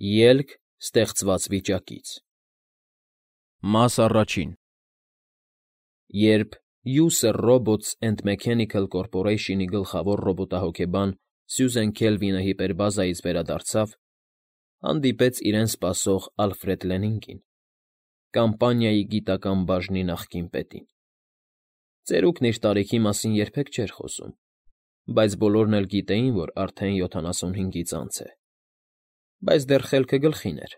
Ելք ստեղծված վիճակից։ Մաս առաջին։ Երբ User Robots and Mechanical Corporation-ի գլխավոր ռոբոտահոգեբան Սյուզեն Քելվինը հիպերբազայից վերադարձավ, հանդիպեց իրեն սպասող Ալֆրեդ Լենինգին, կամպանիայի գիտական բաժնի նախկին պետին։ Ծերուկն իր տարիքի մասին երբեք չէր խոսում, բայց բոլորն էլ գիտեին, որ արդեն 75-ից անց է։ Բայց դեռ խելքը գլխին էր,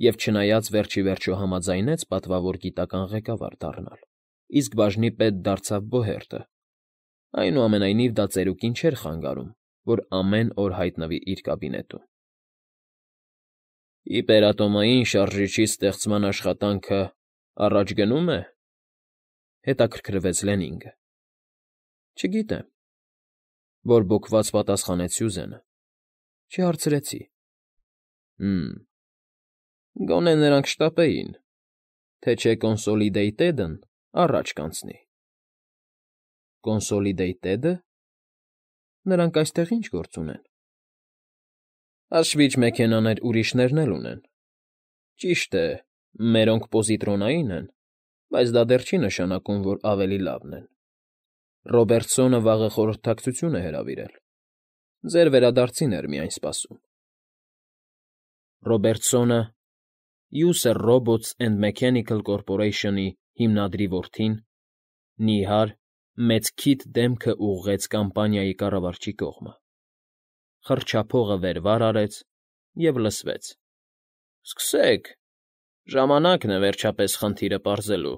և չնայած վերջիվերջո համաձայնեց պատվավոր գիտական ղեկավար դառնալ, իսկ բաժնի պետ դարձավ Բոհերտը, այնուամենայնիվ դա ծերուկին չէր խանգարում, որ ամեն օր հայտնվի իր կաբինետում։ «Հիպերատոմային շարժիչի ստեղծման աշխատանքը առաջ գնո՞ւմ է,֊ հետաքրքրվեց Լենինգը։ ֊ Չգիտեմ,֊ բորբոքված պատասխանեց Սյուզենը։ Չհարցրեցի։ ֊ Գոնե նրանք շտապեին, թե չէ Կոնսոլիդեյթեդն առաջ կանցնի։ ֊ Կոնսոլիդեյթե՞դը։ Նրանք այստեղ ի՞նչ գործ ունեն։ ֊ Հաշվիչ մեքենաներ ուրիշներն էլ ունեն։ Ճիշտ է, մերոնք պոզիտրոնային են, բայց դա դեռ չի նշանակում, որ ավելի լավն են։ Ռոբերտսոնը վաղը խորհրդակցություն է հրավիրել։ Ձեր վերադարձին էր միայն սպասում։ Ռոբերտսոնը User Robots and Mechanical Corporation-ի հիմնադրի որդին, նիհար, մեծ քիթ դեմքը ուղղեց կամպանիայի կառավարչի կողմը, խռչափողը վեր֊վար արեց և լսվեց. ֊ Սկսեք, ժամանակն է վերջապես խնդիրը պարզելու։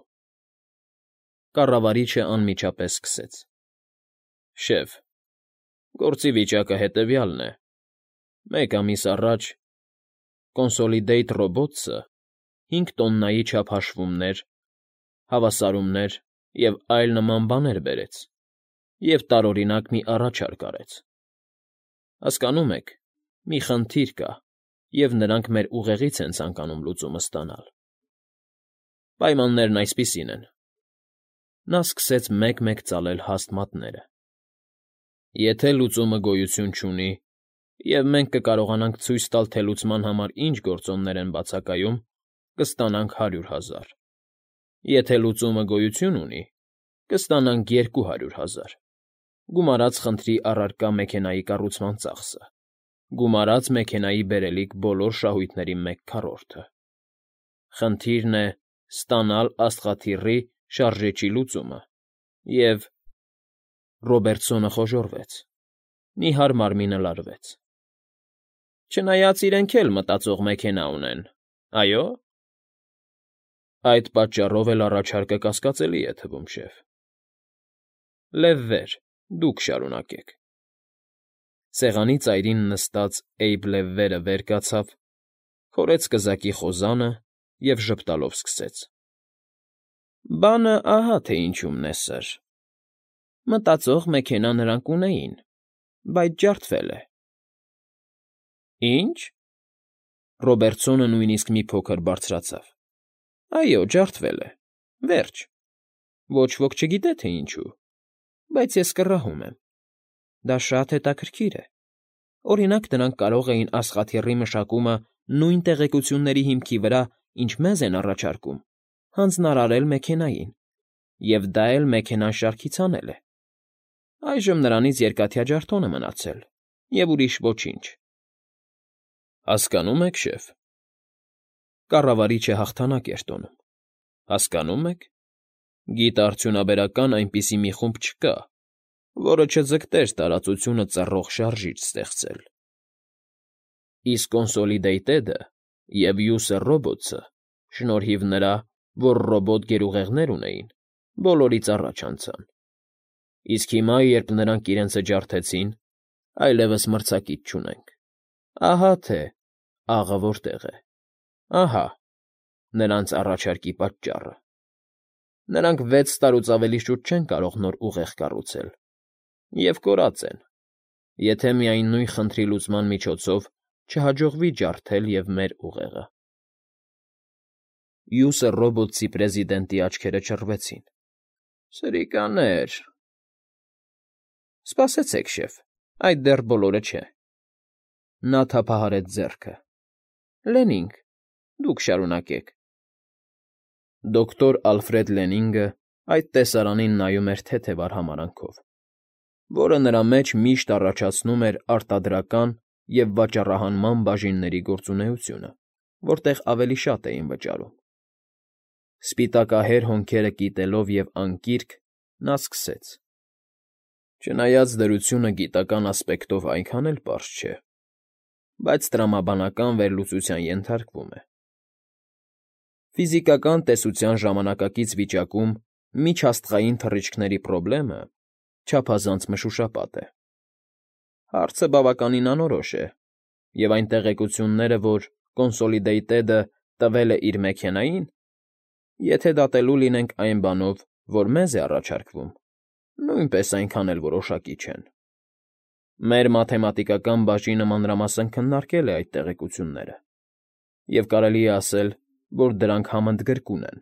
Կառավարիչը անմիջապես սկսեց. ֊ Շեֆ, գործի վիճակը հետևյալն է. Մեկ ամիս առաջ Consolidate Robots-ը 5 տոննայի չափ հաշվումներ, հավասարումներ և այլ նման բաներ բերեց և տարօրինակ մի առաջարկ արեց։ Հասկանում եք, մի խնդիր կա, և նրանք մեր ուղեղից են ցանկանում լուծումը ստանալ։ Պայմաններն այսպիսին են. նա սկսեց մեկ֊մեկ ծալել հաստ մատները։ Եթե լուծումը գոյություն չունի, և մենք կկարողանանք ցույց տալ, թե լուծման համար ինչ գործոններ են բացակայում, կստանանք 100,000, եթե լուծումը գոյություն ունի, կստանանք 200,000, գումարած խնդրի առարկա մեքենայի կառուցման ծախսը, գումարած մեքենայի բերելիք բոլոր շահույթների 1/4-ը։ Խնդիրն է ստանալ աստղաթիռի շարժիչի լուծումը և… Ռոբերտսոնը խոժոռվեց, նիհար մարմինը լարվեց։ Չնայած իրենք էլ մտածող մեքենա ունեն, այո՞։ Այդ պատճառով էլ առաջարկը կասկածելի է թվում, շեֆ։ Լև վեր, դուք շարունակեք։ Սեղանի ծայրին նստած Էյբ Լևվերը վեր կացավ, քորեց կզակի խոզանը և ժպտալով սկսեց. Բանը ահա թե ինչումն է, սըր. մտածող մեքենա նրանք ունեին, բայց ջարդվել է։ Ի՞նչ։ Ռոբերտսոնը նույնիսկ մի փոքր բարձրացավ։ Այո, ջարդվել է, վերջ։ Ոչ ոք չգիտե, թե ինչու, բայց ես կռահում եմ։ Դա շատ հետաքրքիր է։ Օրինակ, նրանք կարող էին աստղաթիռի մշակումը նույն տեղեկությունների հիմքի վրա, ինչ մեզ են առաջարկում, հանձնարարել մեքենային, և դա էլ մեքենան շարքից հանել է։ Այժմ նրանից երկաթյա ջարդոն է մնացել, և ուրիշ ոչինչ։ Հասկանո՞ւմ եք, շեֆ։ Կառավարիչը հաղթանակ էր տոնում։ Հասկանո՞ւմ եք, գիտաարդյունաբերական այնպիսի մի խումբ չկա, որը չձգտեր տարածությունը ծռող շարժիչ ստեղծել։ Իսկ Consolidated-ը և User Robots-ը, շնորհիվ նրա, որ ռոբոտ գերուղեղներ ունեին, բոլորից առաջ անցան։ Իսկ հիմա, երբ նրանք իրենցը ջարդեցին, այլևս մրցակից չունենք։ Ահա թե աղը որտեղ է, ահա նրանց առաջարկի պատճառը։ Նրանք 6 տարուց ավելի շուտ չեն կարող նոր ուղեղ կառուցել, և կորած են, եթե միայն նույն խնդրի լուծման միջոցով չհաջողվի ջարդել և մեր ուղեղը։ User Robots-ի պրեզիդենտի աչքերը չռվեցին։ Սրիկաներ… Սպասեցեք, շեֆ, այդ դեռ բոլորը չէ։ Նա թափահարեց ձեռքը։ Լենինգ, դուք շարունակեք։ Դոկտոր Ալֆրեդ Լենինգը այդ տեսարանին նայում էր թեթև արհամարանքով, որը նրա մեջ միշտ առաջացնում էր արտադրական և վաճառահանման բաժինների գործունեությունը, որտեղ ավելի շատ էին վճարում։ Սպիտակահեր հոնքերը կիտելով և անկիրք, նա սկսեց. Չնայած դրությունը գիտական ասպեկտով այնքան էլ պարզ չէ, բայց տրամաբանական վերլուծության ենթարկվում է։ Ֆիզիկական տեսության ժամանակակից վիճակում միջաստղային թռիչքների պրոբլեմը չափազանց մշուշապատ է։ Հարցը բավականին անորոշ է, և այն տեղեկությունները, որ Consolidated-ը տվել է իր մեքենային, եթե դատելու լինենք այն բանով, որ մեզ է առաջարկվում, նույնպես այնքան էլ որոշակի չեն։ Մեր մաթեմատիկական բաժինը մանրամասն քննարկել է այդ տեղեկությունները, և կարելի է ասել, որ դրանք համընդգրկուն են։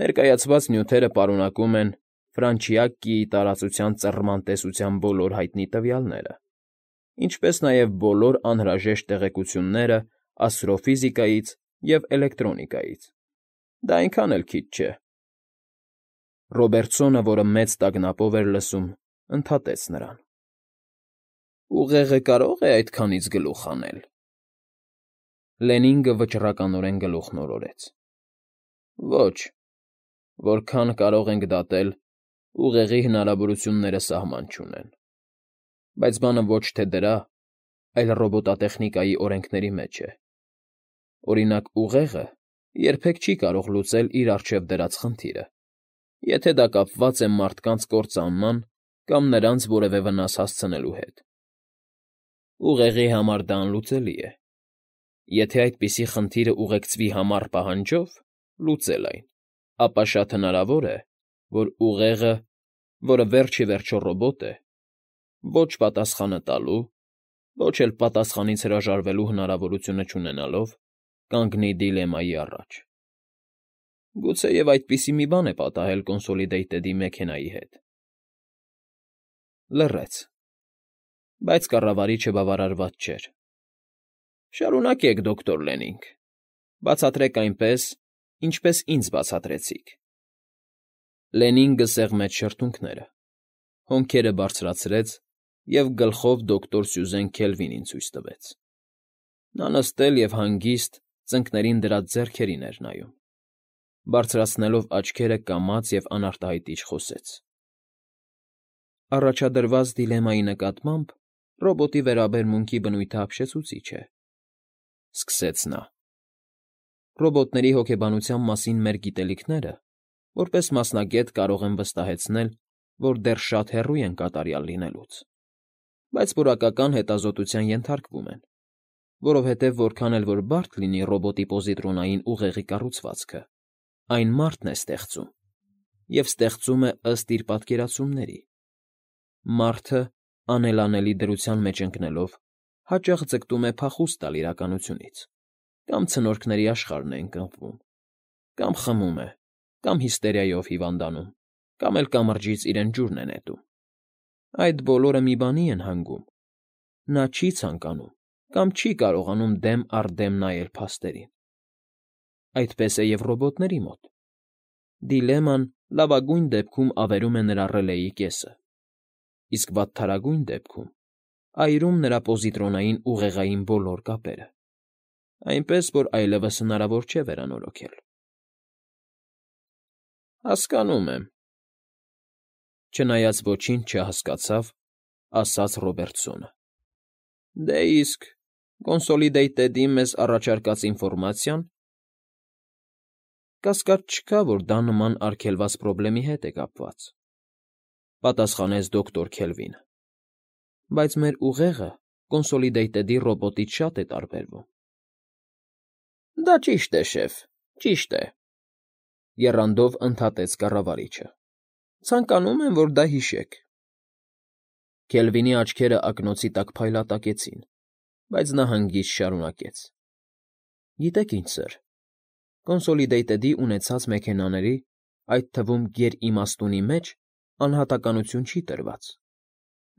Ներկայացված նյութերը պարունակում են Ֆրանչիակիի տարածության ծռման տեսության բոլոր հայտնի տվյալները, ինչպես նաև բոլոր անհրաժեշտ տեղեկությունները աստրոֆիզիկայից և էլեկտրոնիկայից։ Դա այնքան էլ քիչ չէ։ Ռոբերտսոնը, որը մեծ տագնապով էր լսում, ընդհատեց նրան. Ուղեղը կարո՞ղ է այդքանից գլուխ հանել։ Լենինգը վճռականորեն գլուխն օրորեց. Ոչ, որքան կարող ենք դատել, ուղեղի հնարավորությունները սահման չունեն։ Բայց բանը ոչ թե դրա, այլ ռոբոտատեխնիկայի օրենքների մեջ է։ Օրինակ, ուղեղը երբեք չի կարող լուծել իր առջև դրած խնդիրը, եթե դա կապված է մարդկանց կործանման կամ նրանց որևէ վնաս հասցնելու հետ։ Ուղեղի համար դա անլուծելի է։ Եթե այդպիսի խնդիրը ուղեկցվի համառ պահանջով լուծել այն, ապա շատ հնարավոր է, որ ուղեղը, որը վերջ ի վերջո ռոբոտ է, ոչ պատասխանը տալու, ոչ էլ պատասխանից հրաժարվելու հնարավորությունը չունենալով, կանգնի դիլեմայի առաջ։ Գուցեև այդպիսի մի բան է պատահել Consolidated-ի մեքենայի հետ։ Լռեց, բայց կառավարիչը բավարարված չէր։ Շարունակեք, դոկտոր Լենինգ, բացատրեք այնպես, ինչպես ինձ բացատրեցիք։ Լենինգը սեղմեց շրթունքները, հոնքերը բարձրացրեց և գլխով դոկտոր Սյուզեն Քելվինին ցույց տվեց։ Նա նստել և հանգիստ ծնկներին դրած ձեռքերին էր նայում, բարձրացնելով աչքերը կամաց և անարտահայտիչ խոսեց. Առաջադրված դիլեմայի նկատմամբ ռոբոտի վերաբերմունքի բնույթը ապշեցուցիչ է, սկսեց նա։ Ռոբոտների հոգեբանության մասին մեր գիտելիքները, որպես մասնագետ կարող եմ վստահեցնել, որ դեռ շատ հեռու են կատարյալ լինելուց, բայց որակական հետազոտության ենթարկվում են, որովհետև որքան էլ որ բարդ լինի ռոբոտի պոզիտրոնային ուղեղի կառուցվածքը, այն մարդն է ստեղծում, և ստեղծում է ըստ իր պատկերացումների։ Մարդը, անելանելի դրության մեջ ընկնելով, հաճախ ձգտում է փախուստ տալ իրականությունից, կամ ցնորքների աշխարհն է ընկղմվում, կամ խմում է, կամ հիստերիայով հիվանդանում, կամ էլ կամրջից իրեն ջուրն է նետում։ Այդ բոլորը մի բանի են հանգում. նա չի ցանկանում կամ չի կարողանում դեմ առ դեմ նայել փաստերին։ Այդպես է և ռոբոտների մոտ։ Դիլեման լավագույն դեպքում ավերում է նրա ռելեի կեսը, իսկ վատթարագույն դեպքում այրում նրա պոզիտրոնային ուղեղային բոլոր կապերը, այնպես որ այլևս հնարավոր չէ վերանորոգել։ Հասկանում եմ։ Չնայած ոչինչ չհասկացավ, ասաց Ռոբերտսոնը։ Դե իսկ Consolidated-ի մեզ առաջարկած ինֆորմացիան… Կասկած չկա, որ դա նման արգելված պրոբլեմի հետ է կապված, պատասխանեց դոկտոր Քելվինը, բայց մեր ուղեղը Consolidated-ի ռոբոտից շատ է տարբերվում։ Դա ճիշտ է, շեֆ, ճիշտ է, եռանդով ընդհատեց կառավարիչը։ Ցանկանում եմ, որ դա հիշեք։ Քելվինի աչքերը ակնոցի տակ փայլատակեցին, բայց նա հանգիստ շարունակեց. Գիտեք ինչ, սըր, Consolidated-ի ունեցած մեքենաների, այդ թվում գերիմաստունի մեջ անհատականություն չի տրված։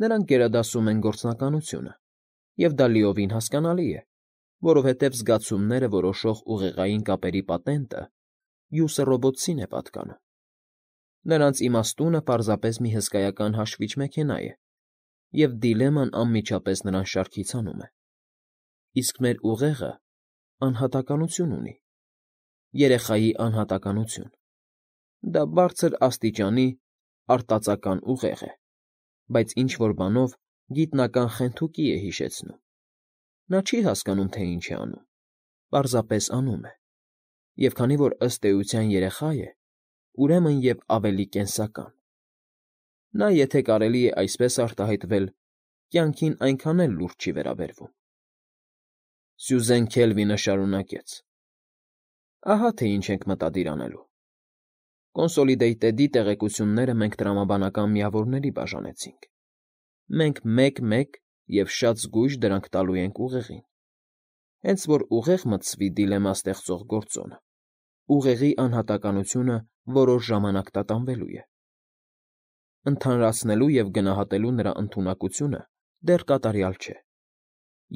Նրանք գերադասում են գործնականությունը, և դա լիովին հասկանալի է, որովհետև զգացումները որոշող ուղեղային կապերի պատենտը յուսը ռոբոտցին է պատկանում։ Նրանց իմաստունը պարզապես մի հսկայական հաշվիչ մեքենա է, և դիլեման անմիջապես նրան շարքից հանում է։ Իսկ մեր ուղեղը անհատականություն ունի, երեխայի անհատականություն։ Դա բարձր աստիճանի արտածական ուղեղ է, բայց ինչ-որ բանով գիտնական խենթուկի է հիշեցնում։ Նա չի հասկանում, թե ինչ է անում, պարզապես անում է, և քանի որ ըստ էության երեխա է, ուրեմն և ավելի կենսական։ Նա, եթե կարելի է այսպես արտահայտվել, կյանքին այնքան էլ լուրջ չի վերաբերվում։ Սյուզեն Քելվինը շարունակեց. Ահա թե ինչ ենք մտադիր անելու։ Կոնսոլիդեյտեդի տեղեկությունները մենք տրամաբանական միավորների բաժանեցինք։ Մենք մեկ-մեկ և շատ զգույշ դրանք տալու ենք ուղեղին։ Հենց որ ուղեղ մտցվի դիլեմա ստեղծող գործոնը, ուղեղի անհատականությունը որոշ ժամանակ տատանվելու է։ Ընդհանրացնելու և գնահատելու նրա ընդունակությունը դեռ կատարյալ չէ,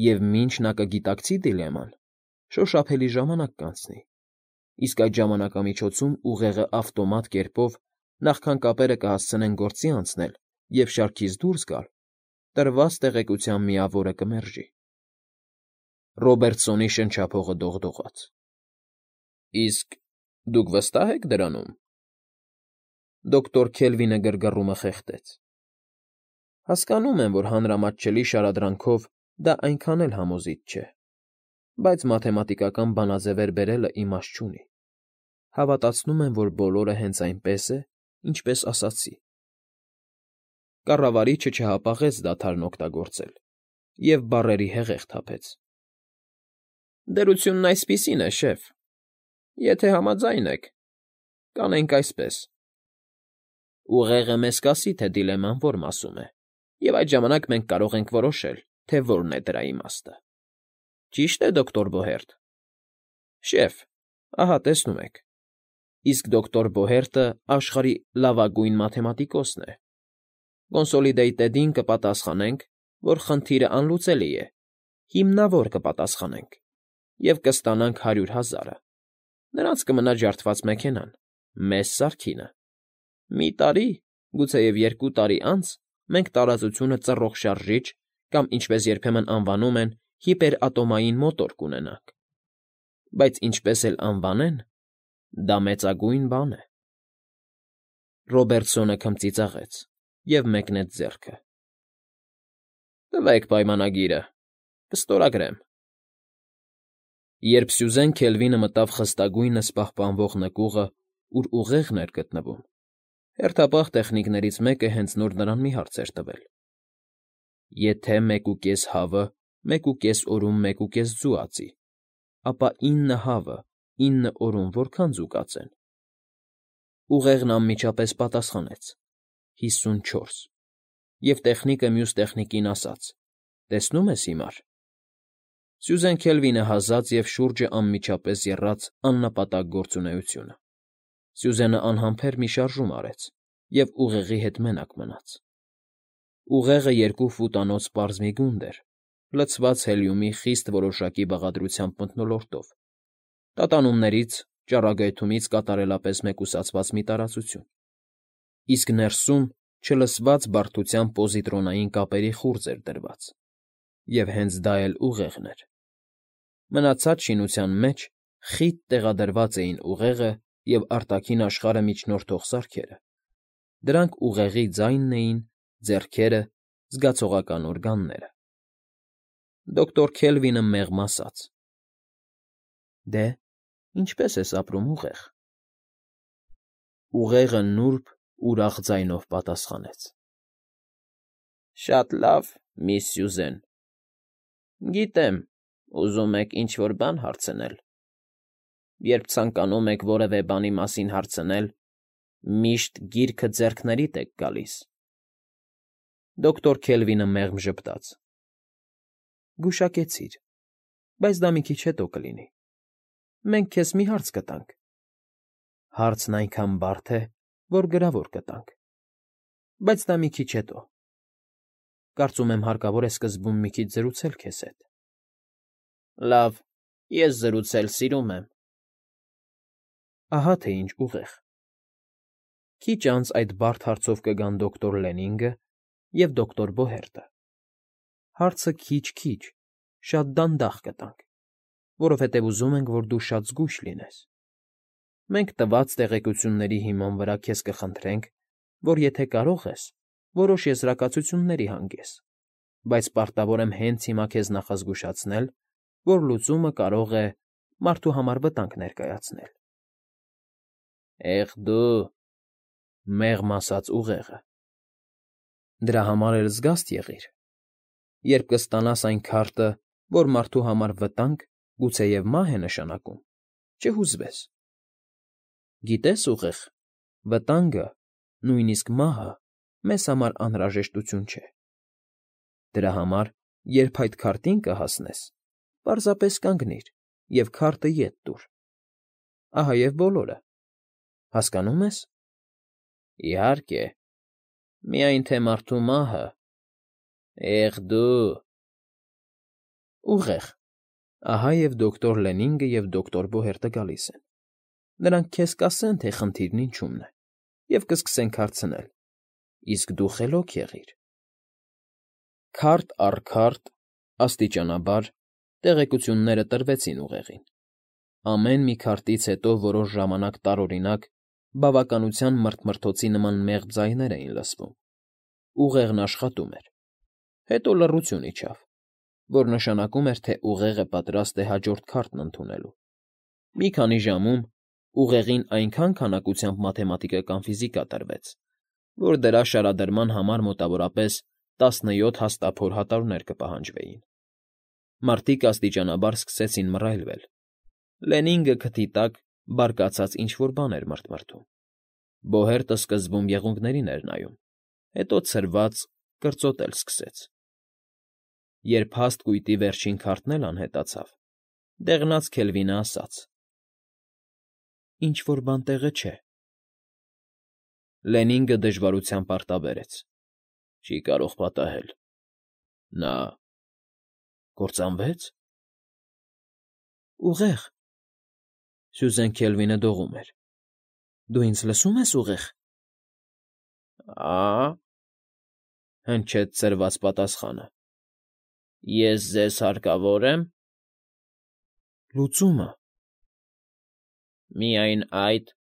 և մինչ նա կգիտակցի դիլեման, շոշափելի ժամանակ կանցնի, իսկ այդ ժամանակամիջոցում ուղեղը ավտոմատ կերպով, նախքան կապերը կհասցնեն գործի անցնել և շարքից դուրս գալ, տրված տեղեկության միավորը կմերժի։ Ռոբերտսոնի շնչափողը դողդողաց։ Իսկ դուք վստահ եք դրանում։ Դոկտոր Քելվինը գրգռումը խեղդեց։ Հասկանում եմ, որ հանրամատչելի շարադրանքով դա այնքան էլ համոզիչ չէ, բայց մաթեմատիկական բանաձևեր բերելը իմաստ չունի։ Հավատացնում եմ, որ բոլորը հենց այնպես է, ինչպես ասացի։ Կառավարիչը չհապաղեց դադարն օգտագործել և բառերի հեղեղ թափեց։ Դրությունն այսպիսին է, շեֆ, եթե համաձայն եք, կանենք այսպես. Ուղեղը մեզ կասի, թե դիլեման որ մասում է, և այդ ժամանակ մենք կարող ենք որոշել, թե որն է դրա իմաստը։ Ճի՞շտ է, դոկտոր Բոհերտ։ Շեֆ, ահա տեսնում եք, իսկ դոկտոր Բոհերտը աշխարհի լավագույն մաթեմատիկոսն է։ Կոնսոլիդեյտեդին կպատասխանենք, որ խնդիրը անլուծելի է, հիմնավոր կպատասխանենք, և կստանանք 100,000-ը։ Նրանց կմնա ջարդված մեքենան, մեզ սարքինը։ Մի տարի, գուցեև 2 տարի անց մենք տարածությունը ծռող շարժիչ կամ, ինչպես երբեմն անվանում են, հիպերատոմային մոտոր կունենանք։ Բայց ինչպես էլ անվանեն, դա մեծագույն բան է։ Ռոբերտսոնը քմծիծաղեց և մեկնեց ձեռքը։ Տվեք պայմանագիրը, կստորագրեմ։ Երբ Սյուզեն Քելվինը մտավ խստագույնս պահպանվող նկուղը, ուր ուղեղն էր գտնվում, հերթապահ տեխնիկներից մեկը հենց նոր նրան մի հարց էր տվել. Եթե 1.5 հավը 1.5 օրում 1.5 ձու ածի, ապա 9 հավը 9 օրում որքան ձու կածեն։ Ուղեղն անմիջապես պատասխանեց. 54, և տեխնիկը մյուս տեխնիկին ասաց. Տեսնում ես հիմար։ Սյուզեն Քելվինը հազաց և շուրջը անմիջապես եռաց աննպատակ գործունեությունը։ Սյուզենը անհամբեր մի շարժում արեց և ուղեղի հետ մենակ մնաց։ Ուղեղը 2 ֆուտանոց պարզ մի գունդ էր, լցված հելիումի խիստ որոշակի բաղադրությամբ մթնոլորտով, տատանումներից, ճառագայթումից կատարելապես մեկուսացված մի տարածություն, իսկ ներսում չլսված բարդությամբ պոզիտրոնային կապերի խուրձ էր դրված, և հենց դա էլ ուղեղն էր։ Մնացած շինության մեջ խիտ տեղադրված էին ուղեղը և արտաքին աշխարհը միջնորդող սարքերը։ Դրանք ուղեղի ձայնն էին, ձեռքերը, զգացողական օրգանները։ Դոկտոր Քելվինը մեղմ ասաց. Դե, ինչպե՞ս ես ապրում, ուղեղ։ Ուղեղը նուրբ, ուրախ ձայնով պատասխանեց. Շատ լավ, միս Սյուզեն։ Գիտեմ, ուզում եք ինչ֊որ բան հարցնել։ Երբ ցանկանում եք որևէ բանի մասին հարցնել, միշտ գիրքը ձեռքներիդ եք գալիս։ Դոկտոր Քելվինը մեղմ ժպտաց. Գուշակեցիր, բայց դա մի քիչ հետո կլինի։ Մենք քեզ մի հարց կտանք։ Հարցն այնքան բարդ է, որ գրավոր կտանք, բայց դա մի քիչ հետո։ Կարծում եմ հարկավոր է սկզբում մի քիչ զրուցել քեզ հետ։ Լավ, ես զրուցել սիրում եմ։ Ահա թե ինչ ուղեղ։ Քիչ անց այդ բարդ հարցով կգան դոկտոր Լենինգը և դոկտոր Բոհերտը։ Հարցը քիչ, շատ դանդաղ կտանք, որովհետև ուզում ենք, որ դու շատ զգույշ լինես։ Մենք տված տեղեկությունների հիման վրա քեզ կխնդրենք, որ եթե կարող ես, որոշ եզրակացությունների հանգես, բայց պարտավոր եմ հենց հիմա քեզ նախազգուշացնել, որ լուծումը կարող է մարդու համար վտանգ ներկայացնել։ Եղ դու, մեղմ ասաց ուղեղը։ Դրա համար էլ զգաստ եղիր։ Երբ կստանաս այն քարտը, որ մարդու համար վտանգ, գուցեև մահ է նշանակում, չհուզվես։ Գիտես, ուղեղ, վտանգը, նույնիսկ մահը մեզ համար անհրաժեշտություն չէ։ Դրա համար, երբ այդ քարտին կհասնես, պարզապես կանգնիր և քարտը ետ տուր։ Ահա և բոլորը։ Հասկանո՞ւմ ես։ Իհարկե, միայն թե մարդու մահը… Եղ դու… Ուղեղ, ահա և դոկտոր Լենինգը և դոկտոր Բոհերտը գալիս են։ Նրանք քեզ կասեն, թե խնդիրն ինչումն է, և կսկսենք հարցնել, իսկ դու խելոք եղիր։ Քարտ առ քարտ, աստիճանաբար, տեղեկությունները տրվեցին ուղեղին։ Ամեն մի քարտից հետո որոշ ժամանակ տարօրինակ, բավականության մռթմռթոցի նման մեղմ ձայներ էին լսվում։ Ուղեղն աշխատում էր։ Հետո լռություն իջավ, որ նշանակում էր, թե ուղեղը պատրաստ է հաջորդ քարտն ընդունելու։ Մի քանի ժամում ուղեղին այնքան քանակությամբ մաթեմատիկական ֆիզիկա տրվեց, որ դրա շարադրման համար մոտավորապես 17 հաստափոր հատորներ կպահանջվեին։ Մարդիկ աստիճանաբար սկսեցին մռայլվել։ Լենինգը քթի տակ բարկացած ինչ֊որ բան էր մռթմռթում։ Բոհերտը սկզբում եղունգներին էր նայում, հետո ցրված կրծոտել սկսեց։ Երբ հաստ կույտի վերջին քարտն էլ անհետացավ, դեղնած Քելվինը ասաց. Ինչ֊որ բան տեղը չէ։ Լենինգը դժվարությամբ արտաբերեց. Չի կարող պատահել։ Նա… կործանվե՞ց։ Ուղեղ… Սյուզեն Քելվինը դողում էր. Դու ինձ լսո՞ւմ ես, ուղեղ։ Ա… հնչեց ցրված պատասխանը։ Ես ձեզ հարկավոր եմ։ Լուծումը… Միայն այդ…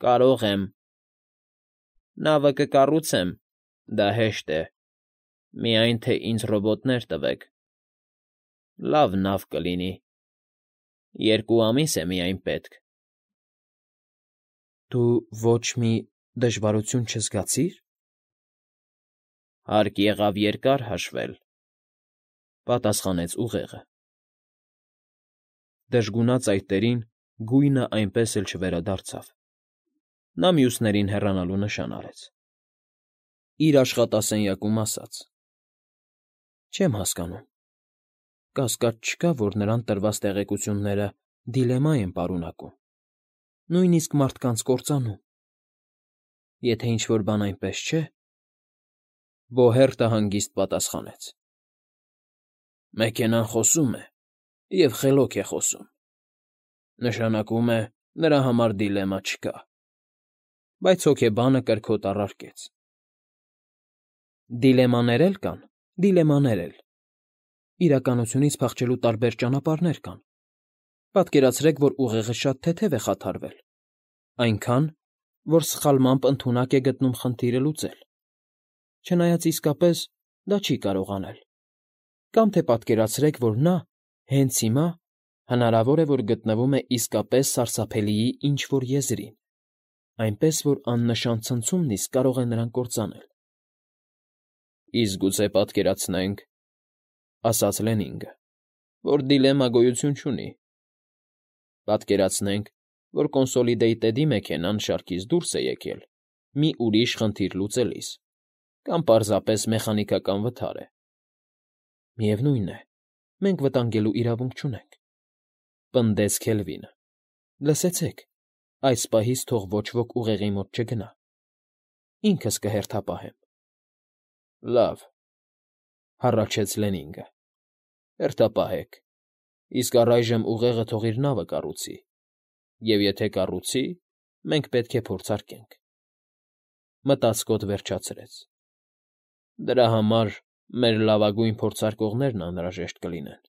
կարող եմ… Նավը կկառուցեմ, դա հեշտ է, միայն թե ինձ ռոբոտներ տվեք… Լավ նավ կլինի… 2 ամիս է միայն պետք… Դու ոչ մի դժվարություն չզգացի՞ր։ Հարկ եղավ երկար հաշվել… պատասխանեց ուղեղը։ Դժգունած այտերին գույնը այնպես էլ չվերադարձավ։ Նա մյուսներին հեռանալու նշան արեց։ Իր աշխատասենյակում ասաց. Չեմ հասկանում… Կասկած չկա, որ նրան տրված տեղեկությունները դիլեմա են պարունակում, նույնիսկ մարդկանց կործանում։ Եթե ինչ֊որ բան այնպես չէ… Բոհերտը հանգիստ պատասխանեց. Մեքենան խոսում է և խելոք է խոսում… Նշանակում է, նրա համար դիլեմա չկա… Բայց հոգեբանը կրքոտ առարկեց. Դիլեմաներ էլ կան, դիլեմաներ էլ… Իրականությունից փախչելու տարբեր ճանապարհներ կան… Պատկերացրեք, որ ուղեղը շատ թեթև է խաթարվել, այնքան, որ սխալմամբ ընդունակ է գտնում խնդիրը լուծել, չնայած իսկապես դա չի կարող անել։ Կամ թե պատկերացրեք, որ նա հենց հիմա հնարավոր է, որ գտնվում է իսկապես սարսափելիի ինչ֊որ եզրին, այնպես որ աննշան ցնցումն իսկ կարող է նրան կործանել։ Իսկ գուցե պատկերացնենք, ասաց Լենինգը, որ դիլեմա գոյություն չունի։ Պատկերացնենք, որ Կոնսոլիդեյտեդի մեքենան շարքից դուրս է եկել մի ուրիշ խնդիր լուծելիս, կամ պարզապես մեխանիկական վթար է։ Միևնույն է, մենք վտանգելու իրավունք չունենք, պնդեց Քելվինը։ Լսեցեք, այս պահից թող ոչ ոք ուղեղի մոտ չգնա։ Ինքս կհերթապահեմ։ Լավ, հառաչեց Լենինգը, հերթապահեք։ Իսկ առայժմ ուղեղը թող իր նավը կառուցի, և եթե կառուցի, մենք պետք է փորձարկենք,֊ մտածկոտ վերջացրեց։֊ Դրա համար մեր լավագույն փորձարկողներն անհրաժեշտ կլինեն։